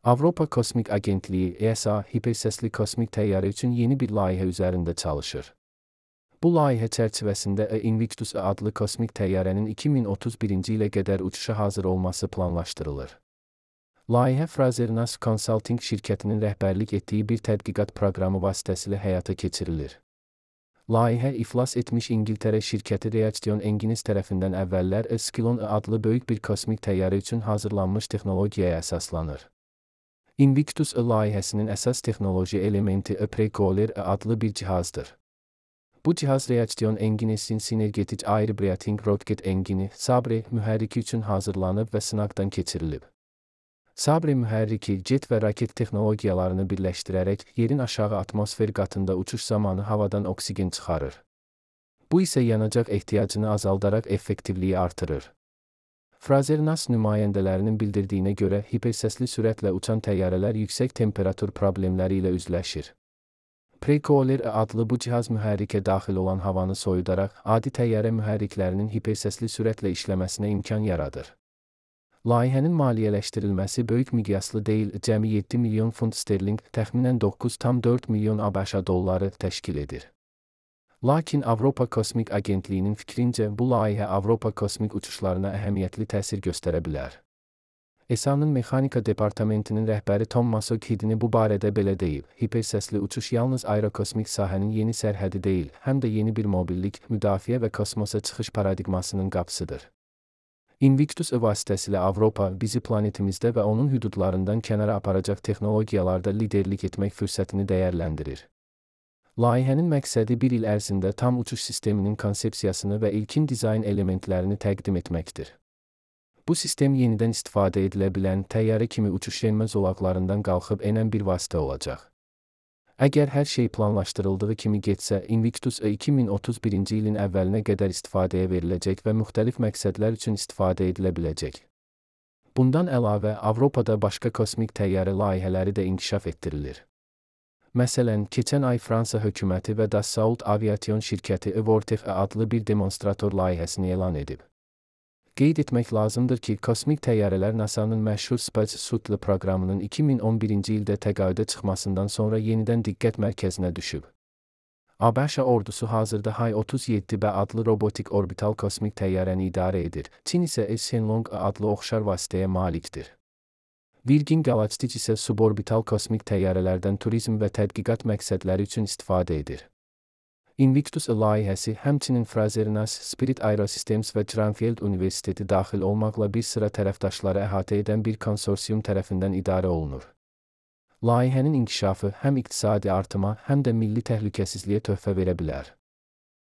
Avropa Kosmik Agentliyi (ESA) hipersəsli kosmik təyyarə üçün yeni bir layihə üzərində çalışır. Bu layihə çərçivəsində Invictus adlı kosmik təyyarənin 2031-ci ilə qədər uçuşa hazır olması planlaşdırılır. Layihə Frazer-Nash Consulting şirkətinin rəhbərlik etdiyi bir tədqiqat proqramı vasitəsilə həyata keçirilir. Layihə iflas etmiş İngiltərə şirkəti Reaction Engines tərəfindən əvvəllər Skylon adlı böyük bir kosmik təyyarə üçün hazırlanmış texnologiyaya əsaslanır. Invictus layihəsinin əsas texnoloji elementi Precoiler adlı bir cihazdır. Bu cihaz Reaction Engines'in Synergetic Air Breathing Rocket Engine (SABRE) mühərriki üçün hazırlanıb və sınaqdan keçirilib. SABRE mühərriki, jet və raket texnologiyalarını birləşdirərək yerin aşağı atmosfer qatında uçuş zamanı havadan oksigen çıxarır. Bu isə yanacaq ehtiyacını azaldaraq effektivliyi artırır. Frazer-Nash nümayəndələrinin bildirdiyinə görə hipersəsli sürətlə uçan təyyarələr yüksək temperatur problemləri ilə üzləşir. Precoiler adlı bu cihaz mühərrikə daxil olan havanı soyudaraq adi təyyarə mühərriklərinin hipersəsli sürətlə işləməsinə imkan yaradır. Layihənin maliyyələşdirilməsi böyük miqyaslı deyil, cəmi 7 milyon funt sterling, təxminən 9,4 milyon ABŞ dolları təşkil edir. Lakin Avropa Kosmik Agentliyinin fikrincə bu layihə Avropa kosmik uçuşlarına əhəmiyyətli təsir göstərə bilər. ESA-nın mexanika departamentinin rəhbəri Tom Massokhidini bu barədə belə deyib: hipersəsli uçuş yalnız aerokosmik sahənin yeni sərhədi deyil, həm də yeni bir mobillik, müdafiə və kosmosa çıxış paradigmasının qapısıdır. Invictus vasitəsilə Avropa bizi planetimizdə və onun hüdudlarından kənara aparacaq texnologiyalarda liderlik etmək fürsətini dəyərləndirir. Layihənin məqsədi bir il ərzində tam uçuş sisteminin konsepsiyasını və ilkin dizayn elementlərini təqdim etməkdir. Bu sistem yenidən istifadə edilə bilən təyyarə kimi uçuş enmə zolaqlarından qalxıb enən bir vasitə olacaq. Əgər hər şey planlaşdırıldığı kimi getsə, Invictus 2031-ci ilin əvvəlinə qədər istifadəyə veriləcək və müxtəlif məqsədlər üçün istifadə edilə biləcək. Bundan əlavə, Avropada başqa kosmik təyyarə layihələri də inkişaf etdirilir. Məsələn, keçən ay Fransa hökuməti və Dassault Aviation şirkəti Vortef adlı bir demonstrator layihəsini elan edib. Qeyd etmək lazımdır ki, kosmik təyyarələr NASA-nın məşhur Space Shuttle proqramının 2011-ci ildə təqaüdə çıxmasından sonra yenidən diqqət mərkəzinə düşüb. ABŞ ordusu hazırda Hay-37B adlı robotik orbital kosmik təyyarəni idarə edir, Çin isə Shenlong adlı oxşar vasitəyə malikdir. Virgin Galactic isə suborbital kosmik təyyarələrdən turizm və tədqiqat məqsədləri üçün istifadə edir. Invictus layihəsi həmçinin Frazer-Nash, Spirit Aerosystems və Cranfield Universiteti daxil olmaqla bir sıra tərəfdaşları əhatə edən bir konsorsium tərəfindən idarə olunur. Layihənin inkişafı həm iqtisadi artıma, həm də milli təhlükəsizliyə töhfə verə bilər.